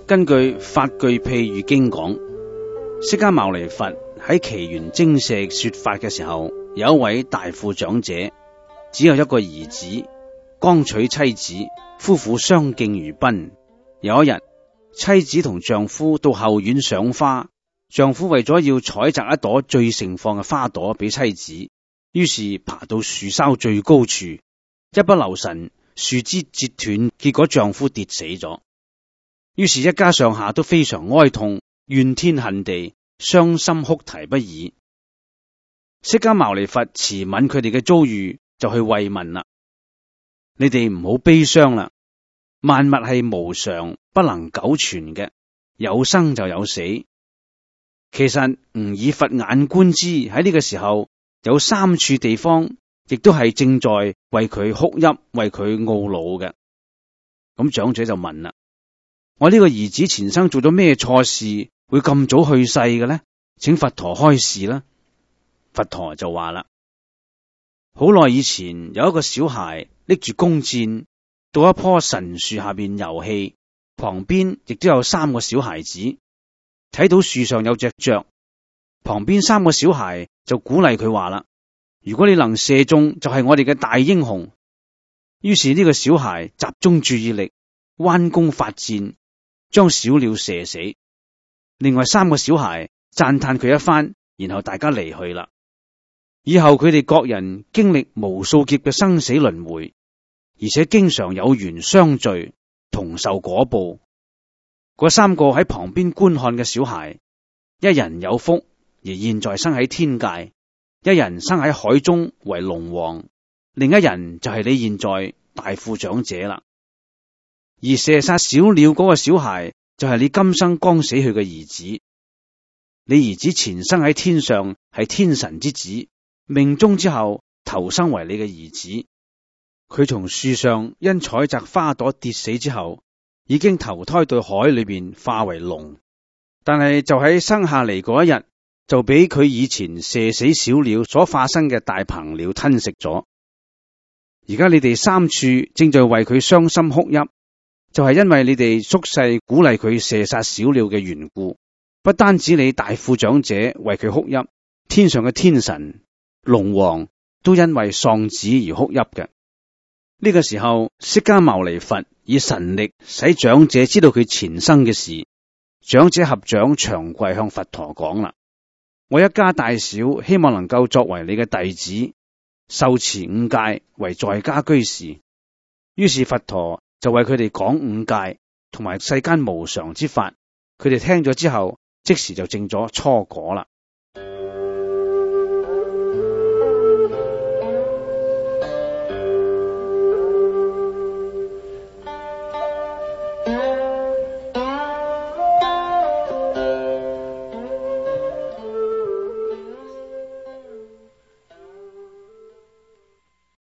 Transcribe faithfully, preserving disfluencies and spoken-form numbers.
根據法句譬喻經講，釋迦牟尼佛喺祇園精舍說法嘅時候，有一位大富長者，只有一個兒子，剛娶妻子，夫婦相敬如賓。有一日，妻子同丈夫到後院賞花，丈夫為咗要採摘一朵最盛放嘅花朵俾妻子，於是爬到樹梢最高處，一不留神，樹枝折斷，結果丈夫跌死咗。於是，一家上下都非常哀痛，怨天恨地，傷心哭啼不已。釋迦牟尼佛慈憫佢哋嘅遭遇，就去慰問啦。你哋唔好悲傷啦，萬物係無常，不能久存嘅，有生就有死。其實吾以佛眼觀之，喺呢個時候有三處地方，亦都係正在為佢哭泣，為佢懊惱嘅。咁長者就問啦：我呢個兒子前生做咗咩錯事，會咁早去世嘅呢？請佛陀開示啦。佛陀就話啦：好耐以前有一個小孩拎住弓箭到一棵神樹下邊遊戲，旁邊亦都有三個小孩子，睇到樹上有隻雀，旁邊三個小孩就鼓勵佢話啦：如果你能射中，就係我哋嘅大英雄。於是呢個小孩集中注意力，彎弓發箭，將小鳥射死。另外三個小孩讚嘆佢一番，然後大家離去啦。以後佢哋各人經歷無數劫嘅生死輪迴，而且經常有緣相聚，同受果報。嗰三個喺旁邊觀看嘅小孩，一人有福，而現在生喺天界；一人生喺海中為龍王，另一人就係你現在大富長者啦。而射殺小鳥嗰個小孩，就係你今生剛死去嘅兒子。你兒子前生喺天上係天神之子，命終之後投生為你嘅兒子。佢從樹上因採摘花朵跌死之後，已經投胎到海裏邊化為龍，但係就喺生下嚟嗰一日，就俾佢以前射死小鳥所化身嘅大鵬鳥吞食咗。而家你哋三處正在為佢傷心哭泣，就係因為你哋宿世鼓勵佢射殺小鳥嘅緣故。不單止你大富長者為佢哭泣，天上嘅天神、龍王都因為喪子而哭泣嘅。呢個時候，釋迦牟尼佛以神力使長者知道佢前生嘅事。長者合掌長跪向佛陀講啦：我一家大小希望能夠作為你嘅弟子，受持五戒為在家居士。於是佛陀就為佢哋講五戒同埋世間無常之法。佢哋聽咗之後，即時就證咗初果啦。